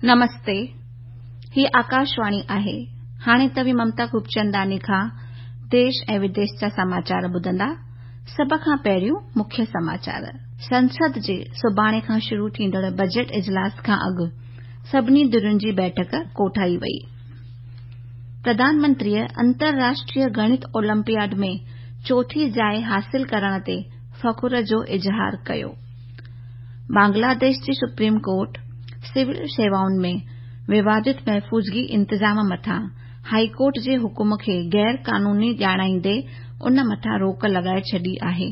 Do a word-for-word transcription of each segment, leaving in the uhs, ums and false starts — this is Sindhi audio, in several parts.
نمستي، هي آڪاشواڻي آهي. هاڻي توهين ممتا خوبچنداڻي کان ديش ۽ وديش جا سماچار ٻڌندا. سڀ کان پهريون مکيه سماچار. سنسد جي سڀاڻي کان شروع ٿيندڙ بجيٽ اجلاس کان اڳ سڀني ڌرين جي بيٺڪ ڪوٺائي وئي. پرڌان منتريءَ انترراشٽريه گڻت اولمپياڊ ۾ چوٿين جاءِ حاصل ڪرڻ تي فخر جو اظهار ڪيو. بنگلاديش جي سپريم ڪورٽ سول شيوائن ۾ ووادت محفوظگي انتظام مٿان هائي ڪورٽ جي حڪم کي غير قانوني ڄاڻائيندي ان مٿان روڪ لڳائي ڇڏي آهي.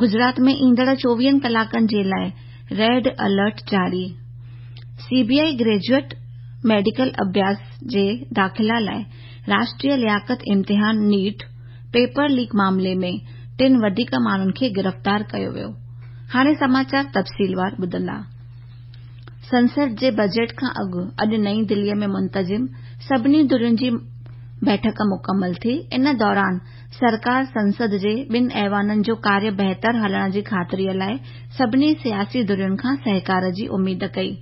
گجرات ۾ ايندڙ چوويهن ڪلاڪن جي لاءِ ريڊ الرٽ جاري. C B I graduate medical اڀياس جي داخلا لاءِ راشٽريه لياقت امتحان نيٽ پيپر ليڪ معاملي ۾ ٽن وڌيڪ ماڻهن کي گرفتار ڪيو ويو. هاڻي سماچار تفصيلوار ٻڌندا. سنسد جي بجيٽ کان اڳ اڄ نئين دليءَ ۾ منتظم سڀني ڌرين جي بيٺڪ مڪمل ٿي. ان دوران سرڪار سنسد جي ٻن ايوانن جو ڪاريه بهتر هلڻ جي خاطريءَ لاءِ سڀني سياسي ڌرين کان سهڪار جي اميد ڪئي.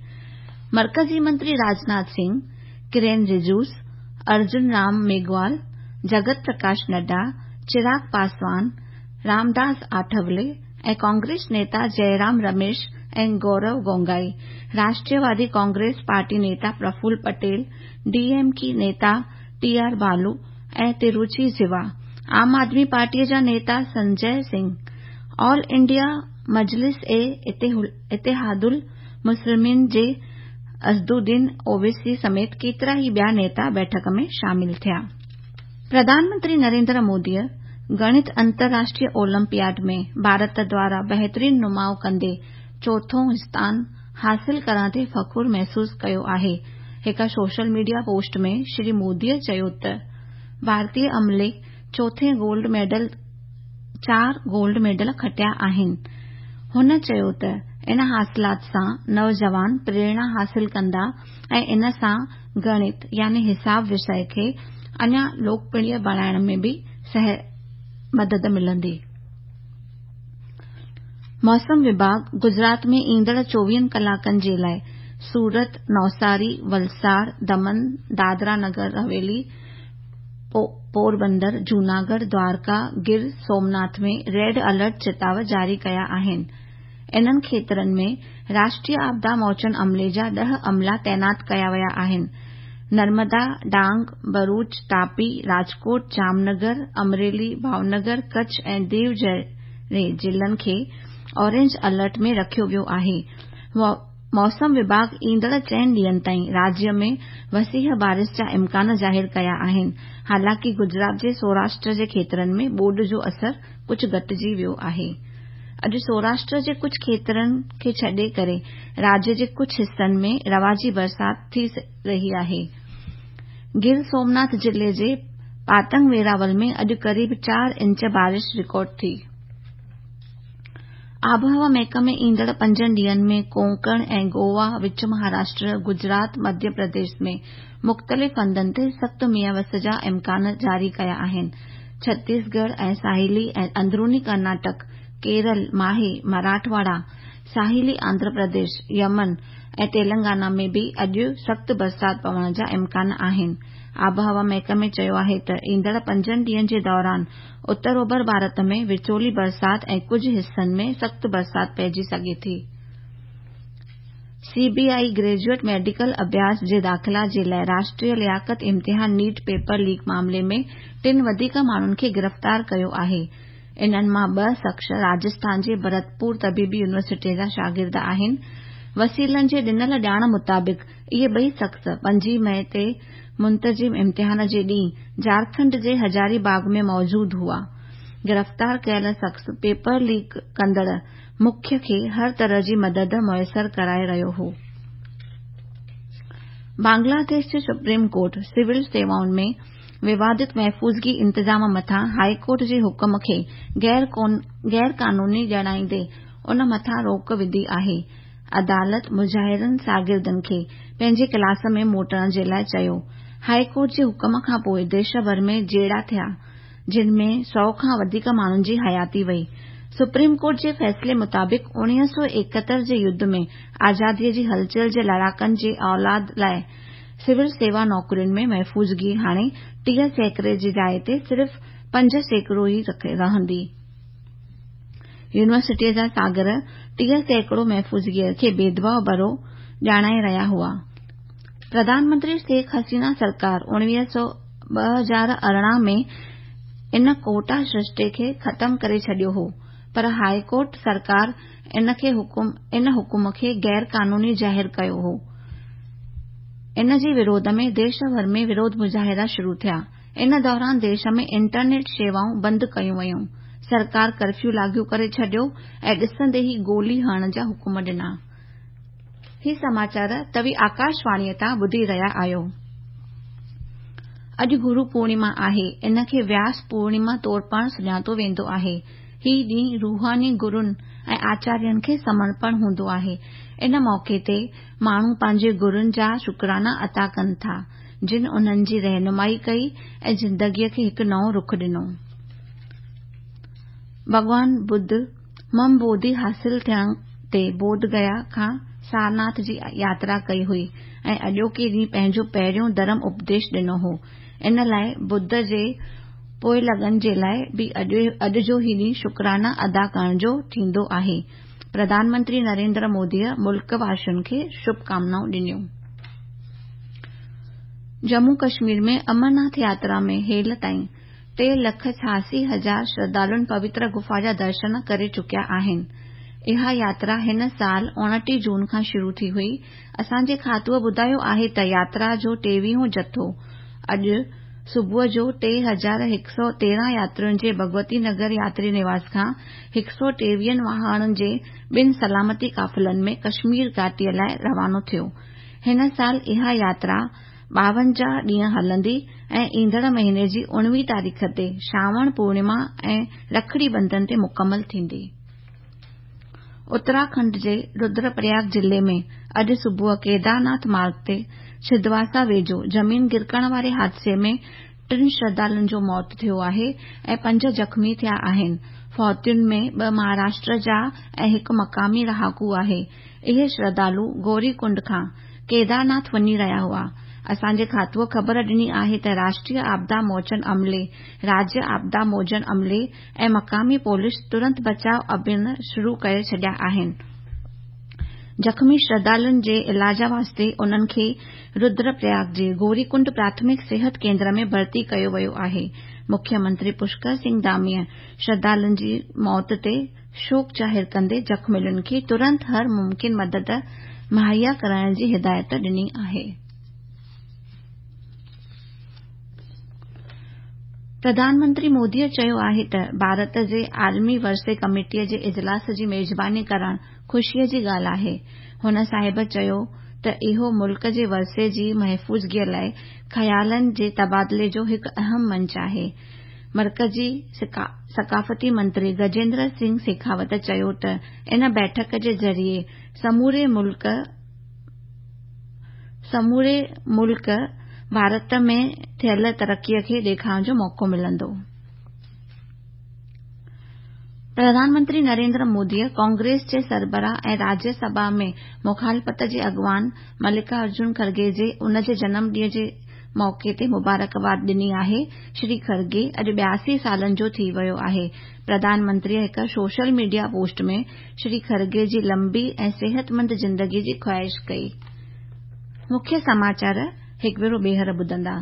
مرڪزي منتري راجناٿ سنگهه، ڪرين رجيجو، ارجن رام ميگهوال، جگت پرڪاش نڊا، چراغ پاسوان، رامداس آٺولي ۽ ڪانگريس نيتا جئرام رميش ۽ گورو گوگوئي، راشٽروادي ڪانگريس پارٽي نيتا Praful Patel, D M K نيتا ٽي آر بالو ۽ تروچي سوا، عام آدمي پارٽيءَ جا نيتا سنجي سنگهه، آل انڊيا مجلس اي اتحاد المسلمين جي اسدالدين اويسي سميت ڪيترا ئي ٻيا نيتا بيٺڪ ۾ شامل ٿيا. پرڌان منتري نريندر موديءَ گڻت انترراشٽريه اولمپياڊ ۾ ڀارت دواران بهترين نماءُ ڪندي چوٿون اسٿان حاصل ڪرڻ تي فخر محسوس ڪيو آهي. هڪ سوشل ميڊيا پوسٽ ۾ شري موديءَ چيو ته ڀارتيه عملي چوٿين گولڊ ميڊل چار گولڊ ميڊل کٽيا آهن. هن چيو ته ان حاصلات سان نوجوان پريرڻا حاصل ڪندا ۽ ان سان گڻت يعني حساب وشيه کي اڃا لوڪپريه بڻائڻ ۾ به مدد ملندي. موسم وڀاڳ گجرات ۾ ايندڙ چوويهن ڪلاڪن جي لاءِ سورت، نوساري، ولساڙ، دمن، دادرا نگر حويلي، پوربندر، جوناڳڙهه، دوارڪا، گر سومناٿ ۾ ريڊ الرٽ چتاءُ جاري ڪيا آهن. انهن کيترن ۾ راشٽريه آپدا موچن عملي جا ڏهه عملا تعينات ڪيا ويا آهن. نرمدا، ڊانگ، ڀروچ، تاپي، راجڪوٽ، جامنگر، امريلي، ڀاونگر، ڪڇ ۽ ديو جهڙي ضلعن کي اورينج الرٽ ۾ رکيو ويو آهي. موسم وڀاڳ ايندڙ چئن ڏينهن تائين راجيه ۾ وسيع بارش جا امڪان ظاهر ڪيا آهن. حالانڪه گجرات جي سوراشٽر جي کيترن ۾ ٻوڏ جو اثر ڪجهه گهٽجي ويو آهي. اڄ سوراشٽر جي ڪجهه کيترن کي ڇڏي ڪري راجيه جي ڪجهه حصن ۾ رواجي برسات ٿي رهي آهي. گر سومناٿ ضلعي جي پاتنگ ويراول ۾ اڄ قريب چار انچ بارش رڪارڊ ٿي. آبهوا محڪمي ايندڙ پنجن ڏينهن ۾ ڪونڪڻ ۽ گوا، وچ مهاراشٽر، گجرات، مڌيه پرديش ۾ مختلف هنڌن تي سخت مينهن وس جا امڪان جاري ڪيا آهن. ڇتيسڳڙهه ۽ ساحلي ۽ اندروني ڪرناٽڪ، ڪيرل، ماهي، مراٺواڙا، ساحلي آنڌرا پرديش، يمن ۽ تيلنگانا ۾ به اڄ سخت برسات پوڻ جا امڪان آهن. آبهوا محڪمي چيو آهي ته ايندڙ پنجن ڏينهن جي دوران اتر اوڀر ڀارت ۾ وچولي برسات ۽ ڪجهه حصن ۾ سخت برسات پئجي سگهي ٿي. C B I graduate medical اڀياس جي داخلا جي لاءِ راشٽريه لياقت امتحان نيٽ پيپر ليڪ معاملي ۾ ٽن وڌيڪ ماڻهن کي گرفتار ڪيو آهي. انهن مان ٻه شخص راجسٿان جي ڀرتپور طبيبي يونيورسٽيءَ جا شاگرد آهن. وسيلن جي ڏنل ڄاڻ مطابق اهي ٻئي شخص پنجين مئي تي منتظم امتحان جي ڏينهن جهارکنڊ جي هزاري باغ ۾ موجود هئا. گرفتار ڪيل شخص پيپر ليڪ ڪندڙ مکيه کي هر طرح جي مدد ميسر ڪرائي رهيو هو. بنگلاديش جي سپريم ڪورٽ سول سيوائن ۾ ووادت محفوظگي انتظام مٿان هائي ڪورٽ جي حڪم کي غير قانوني ڄاڻائيندي ان مٿان روڪ وڌي آهي. عدالت مظاهرين شاگردن کي پنهنجي ڪلاس ۾ موٽڻ جي لاءِ چيو. هائي ڪورٽ جي حڪم کان پوءِ ديش ڀر ۾ جهيڙا ٿيا، جن ۾ سؤ کان وڌيڪ ماڻهن جي حياتي وئي. سپريم ڪورٽ جي فيصلي مطابق اڻويهه سؤ ايڪهتر جي يڌ ۾ آزاديء جي هلچل جي لڙاڪن جي اولاد لاء سول سيوا نوڪرين ۾ محفوظگي هاڻي ٽيهه سيڪڙي جي جاءِ تي صرف پنج سيڪڙو ئي رهندي. يونيورسٽيء جا شاگرد ٽيهه سيڪڙو محفوظگيء کي ڀيدڀاء ڀريو ڄاڻائي رهيا هئا. پرڌان منتري شيخ حسينه سرڪار اڻويهه سؤ ٻه هزار ارڙهن ۾ ان ڪوٽا سرشتي کي ختم ڪري ڇڏيو هو، پر هاء ڪورٽ سرڪار ان حڪم کي غير قانوني ظاهر ڪيو هو. ان جي وروڌ ۾ ديش ڀر ۾ وروڌ مظاهرا شروع ٿيا. ان دوران ديش ۾ انٽرنيٽ شيوائون بند ڪيون ويون. سرڪار ڪرفيو لاڳو ڪري ڇڏيو ۽ ڏسندي ئي گولي هڻڻ جا حڪم ڏنا. هي سماچار توهين آڪاشواڻيء تان ٻڌي رهيا آهيو. اڄ گرو پورڻما آهي. ان کي وياس پورڻما طور پڻ سڃاتو ويندو آهي. هي ڏينهن روحاني گرن ۽ آچارين کي سمرپڻ هوندو آهي. ان موقعي تي ماڻهو پنهنجي گرن جا شڪرانا ادا ڪن ٿا، جن انهن جي رهنمائي ڪئي ۽ زندگيء کي هڪ نئون رخ ڏنو. ڀڳوان ٻڌ مم بوڌي حاصل ٿيڻ تي بوڌ گيا کان سارناٿ جي ياترا ڪئي هئي ۽ اڄوڪي ڏينهن پنهنجو پهريون ڌرم اپديش ڏنو هو. ان لاءِ ٻڌ جي پوئلڳن جي لاءِ به اڄ جو هي ڏينهن شڪرانا ادا ڪرڻ جو ٿيندو آهي. پرڌان منتري نريندر موديء ملڪ واسين کي شڀ ڪامنائون ڏنيون. ڄمون ڪشمير ۾ امرناٿ ياترا ۾ هيل تائين ٽي لک ڇهاسي هزار شرڌالن پوتر گفا جا درشن ڪري چڪيا آهن. اها ياترا هن سال اڻٽيهه جون کان شروع ٿي هئي. اسان جي کاتوءَ ٻڌايو آهي ته ياترا جو ٽيويهون جٿو اڄ صبح جو ٽي هزار هڪ سؤ تيرهن ياترين جي ڀڳوتي نگر ياتري نواس کان هڪ سؤ ٽيويهن واهڻن جي ٻن سلامتي قافلن ۾ ڪشمير گهاٽيءَ لاءِ روانو ٿيو. هن سال اها ياترا ٻاونجاهه ڏينهن هلندي ۽ ايندڙ مهيني جي اڻويهه تاريخ تي شراوڻ پورڻما ۽ رکڙي بنڌن تي مڪمل ٿيندي. اتراکنڊ جي ردرپرياگ ضلعي ۾ اڄ صبح ڪيدارناٿ مارگ تي ڇندواسا ويجهو زمين گرڪڻ واري حادثي ۾ ٽن شرڌالن جو موت ٿيو آهي ۽ پنج زخمي ٿيا آهن. فوتين ۾ ٻه مهاراشٽر جا ۽ هڪ مقامي رهاڪو آهي. اهي شرڌالو گوري ڪنڊ کان ڪيدارناٿ وڃي رهيا هئا. اسان جي کاتوءَ خبر ڏني آهي ته راشٽريه آپدا موچن عملي، راجيه آپدا موچن عملي ۽ مقامي پوليس ترنت بچاءُ اڀيان شروع ڪري ڇڏيا آهن. زخمي شرڌالن جي علاج واسطي انهن کي ردرپرياگ جي گوري ڪنڊ پراٿمڪ صحت ڪيندر ۾ ڀرتي ڪيو ويو آهي. مکيه منتري پشڪر سنگهه ڌاميءَ شرڌالن جي موت تي شوڪ ظاهر ڪندي زخمين کي ترنت هر ممڪن مدد مهيا ڪرڻ جي هدايت ڏني آهي. پرڌان منتري موديءَ چيو آهي ته ڀارت جي عالمي ورثي ڪميٽيءَ جي اجلاس جي ميزباني ڪرڻ خوشيءَ جي ڳالهه آهي. هن صاحب چيو ته اهو ملڪ جي ورثي جي محفوظگيءَ لاءِ خيالن جي تبادلي جو هڪ اهم منچ آهي. مرڪزي ثقافتي منتري گجيندر سنگهه شيخاوت چيو ته ان بيٺڪ جي ذريعي سموري ملڪ سموري ملڪ ڀارت ۾ ٿيل ترقيءَ کي ڏيکارڻ جو موقعو ملندو. پرڌان منتري نريندر موديءَ ڪانگريس جي سربراهه ۽ راجيه سڀا ۾ مخالفت جي اڳواڻ ملڪا ارجن کرگي جي ان جي جنم ڏينهن جي موقعي تي مبارڪباد ڏني آهي. شري کرگي اڄ ٻياسي سالن جو ٿي ويو آهي. پرڌان منتريءَ هڪ سوشل ميڊيا پوسٽ ۾ شري کرگي جي لمبي ۽ صحتمند زندگيءَ جي خواهش ڪئي. مکيه سماچار هڪ ڀيرو ٻيهر ٻڌندا.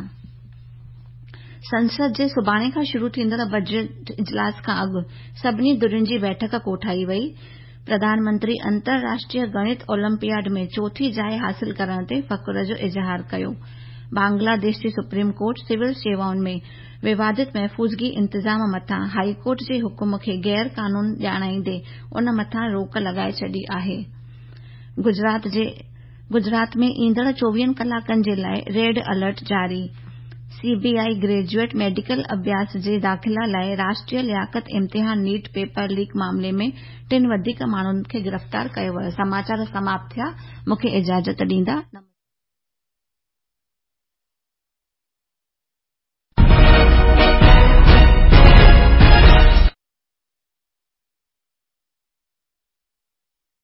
سنسد جي سڀاڻي کان شروع ٿيندڙ بجيٽ اجلاس کان اڳ سڀني ڌرين جي بيٺڪ ڪوٺائي وئي. پرڌان منتري انترراشٽريه گڻت اولمپياڊ ۾ چوٿين جاءِ حاصل ڪرڻ تي فخر جو اظهار ڪيو. بنگلاديش جي سپريم ڪورٽ سول شيوائن ۾ ووادت محفوظگي انتظام مٿان هاءِ ڪورٽ جي حڪم کي غير قانون ڄاڻائيندي ان مٿان روڪ لڳائي ڇڏي آهي. گجرات جي گجرات ۾ ايندڙ چوويهن ڪلاڪن جي لاءِ ريڊ الرٽ جاري. C B I graduate medical اڀياس جي داخلا لاءِ راشٽريه لياقت امتحان نيٽ پيپر ليڪ معاملي ۾ ٽن وڌيڪ ماڻهن کي گرفتار ڪيو ويو. سماچار سماپت ٿيا. مون کي اجازت ڏيندا.